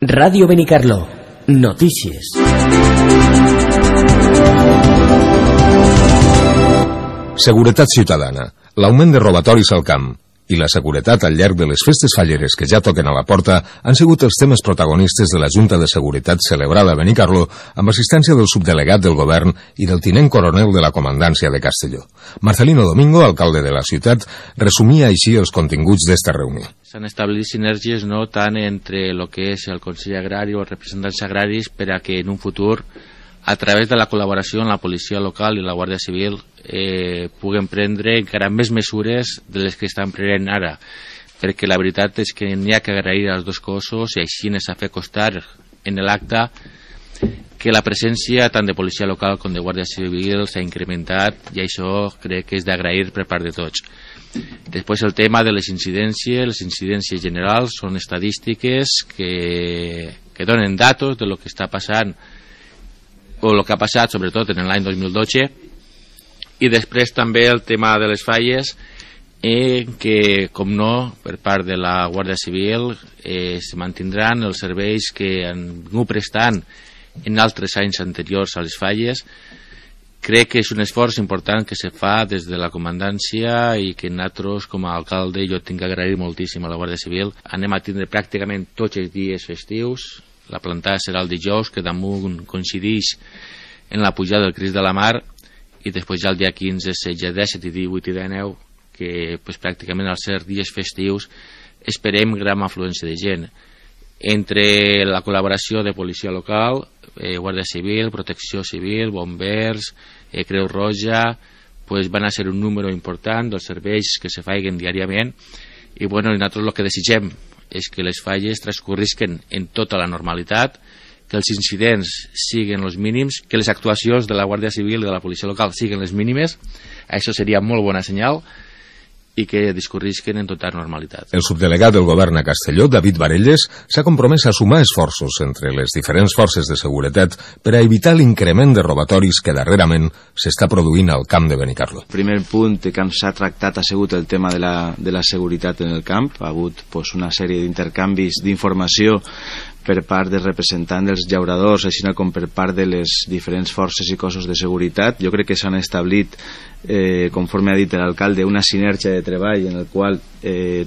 Ràdio Benicarló. Notícies. Seguretat ciutadana, l'augment de robatoris al camp i la seguretat al llarg de les festes falleres que ja toquen a la porta han sigut els temes protagonistes de la Junta de Seguretat celebrada a Benicarló amb assistència del subdelegat del govern i del tinent coronel de la comandància de Castelló. Marcelino Domingo, alcalde de la ciutat, resumia així els continguts d'esta reunió. S'han establit sinergies no tant entre el que és el Consell Agrari o els representants agraris per a que en un futur, a través de la col·laboració amb la policia local i la Guàrdia Civil, puguen prendre encara més mesures de les que estan prenent ara, perquè la veritat és que n'hi ha que agrair als dos cossos i així s'ha fet costar en l'acte que la presència tant de policia local com de Guàrdia Civil s'ha incrementat i això crec que és d'agrair per part de tots. Després el tema de les incidències generals són estadístiques que donen datos de lo que està passant o el que ha passat sobretot en l'any 2012 i després també el tema de les falles que com no per part de la Guàrdia Civil es mantindran els serveis que han vingut prestant en altres anys anteriors a les falles. Crec que és un esforç important que se fa des de la comandància i que nosaltres com a alcalde jo tinc que agrair moltíssim a la Guàrdia Civil. Anem a tindre pràcticament tots els dies festius. La plantada serà el dijous, que damunt coincideix en la pujada del Crist de la Mar, i després ja el dia 15, 16, 17, 18 i 19, que pues, pràcticament als ser dies festius esperem gran afluència de gent. Entre la col·laboració de policia local, Guàrdia Civil, Protecció Civil, Bombers, Creu Roja, pues, van a ser un número important dels serveis que se faiguen diàriament i bueno, nosaltres el que desitgem és que les falles transcorrisquen en tota la normalitat, que els incidents siguin els mínims, que les actuacions de la Guàrdia Civil i de la policia local siguin les mínimes. Això seria molt bona senyal i que discorrisquen en tota normalitat. El subdelegat del govern a Castelló, David Varelles, s'ha compromès a sumar esforços entre les diferents forces de seguretat per a evitar l'increment de robatoris que darrerament s'està produint al camp de Benicarló. El primer punt que s'ha tractat ha sigut el tema de la seguretat en el camp. Ha hagut una sèrie d'intercanvis d'informació per part dels representants dels llauradors, així com per part de les diferents forces i cossos de seguretat. Jo crec que s'han establit, conforme ha dit l'alcalde, una sinergia de treball en el qual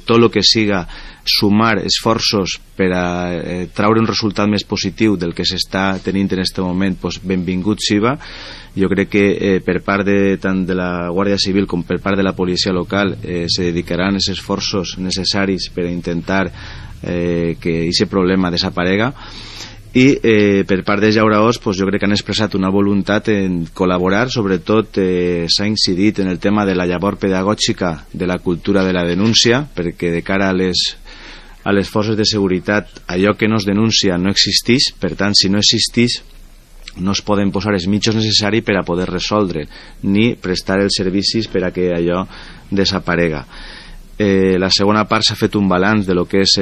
tot el que siga sumar esforços per a traure un resultat més positiu del que s'està tenint en aquest moment, benvingut siga. Jo crec que per part tant de la Guàrdia Civil com per part de la policia local se dedicaran els esforços necessaris per a intentar que aquest problema desaparega i per part dels llauradors jo crec que han expressat una voluntat en col·laborar. Sobretot s'ha incidit en el tema de la llavor pedagògica de la cultura de la denúncia, perquè de cara a les forces de seguretat allò que no es denuncia no existeix, per tant si no existeix no es poden posar els mitjans necessaris per a poder resoldre ni prestar els servicis per a que allò desaparega. La segona part s'ha fet un balanç de lo que és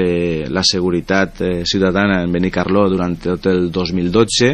la seguretat ciutadana en Benicarló durant tot el 2012.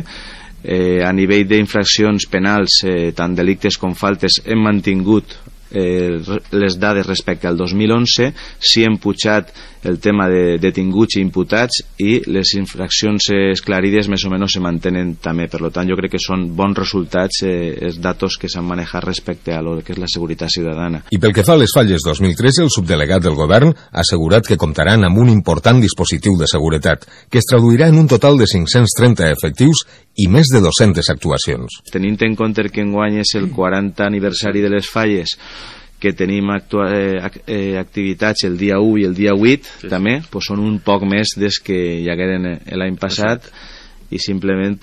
A nivell d'infraccions penals, tant delictes com faltes, hem mantingut les dades respecte al 2011. Sí hem pujat el tema de detinguts i imputats i les infraccions esclarides més o menys se mantenen també. Per tant, jo crec que són bons resultats els datos que s'han manejat respecte a lo que és la seguretat ciutadana. I pel que fa a les falles 2013, el subdelegat del govern ha assegurat que comptaran amb un important dispositiu de seguretat que es traduirà en un total de 530 efectius i més de 200 actuacions. Tenint en compte que enguany és el 40 aniversari de les falles, que tenim activitats el dia 1 i el dia 8 també, són un poc més des que hi hagueren l'any passat i simplement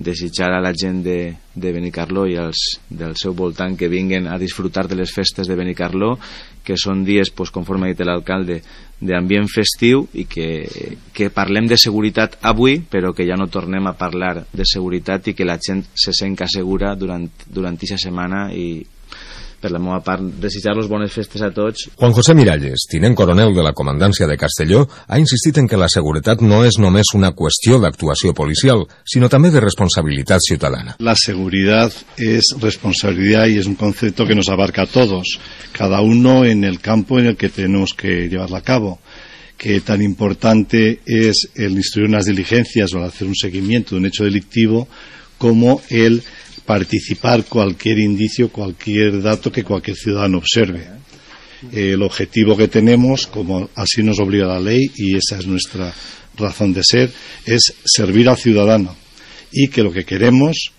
desitjar a la gent de Benicarló i del seu voltant que vinguen a disfrutar de les festes de Benicarló, que són dies, conforme ha dit l'alcalde, d'ambient festiu i que parlem de seguretat avui, però que ja no tornem a parlar de seguretat i que la gent se senta segura durant aquesta setmana. I per la meva part, desitjar-los bones festes a tots. Juan José Miralles, tinent coronel de la comandància de Castelló, ha insistit en que la seguretat no es només una cuestión de actuació policial, sino también de responsabilidad ciudadana. La seguridad es responsabilidad y es un concepto que nos abarca a todos, cada uno en el campo en el que tenemos que llevarla a cabo. que tan importante es el instruir unas diligencias o el hacer un seguimiento de un hecho delictivo como el participar cualquier indicio, cualquier dato que cualquier ciudadano observe. El objetivo que tenemos, como así nos obliga la ley, y esa es nuestra razón de ser, es servir al ciudadano, y que lo que queremos,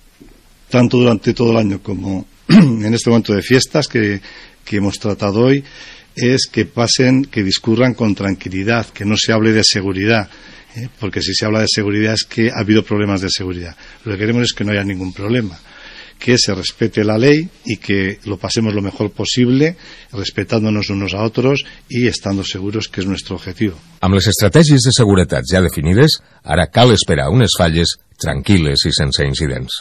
tanto durante todo el año como en este momento de fiestas que hemos tratado hoy, es que discurran con tranquilidad, que no se hable de seguridad, porque si se habla de seguridad es que ha habido problemas de seguridad. Lo que queremos es que no haya ningún problema, que se respete la ley y que lo pasemos lo mejor possible, respetándonos unos a otros y estando seguros, que és nuestro objetivo. Amb les estratègies de seguretat ja definides, ara cal esperar unes falles tranquil·les i sense incidents.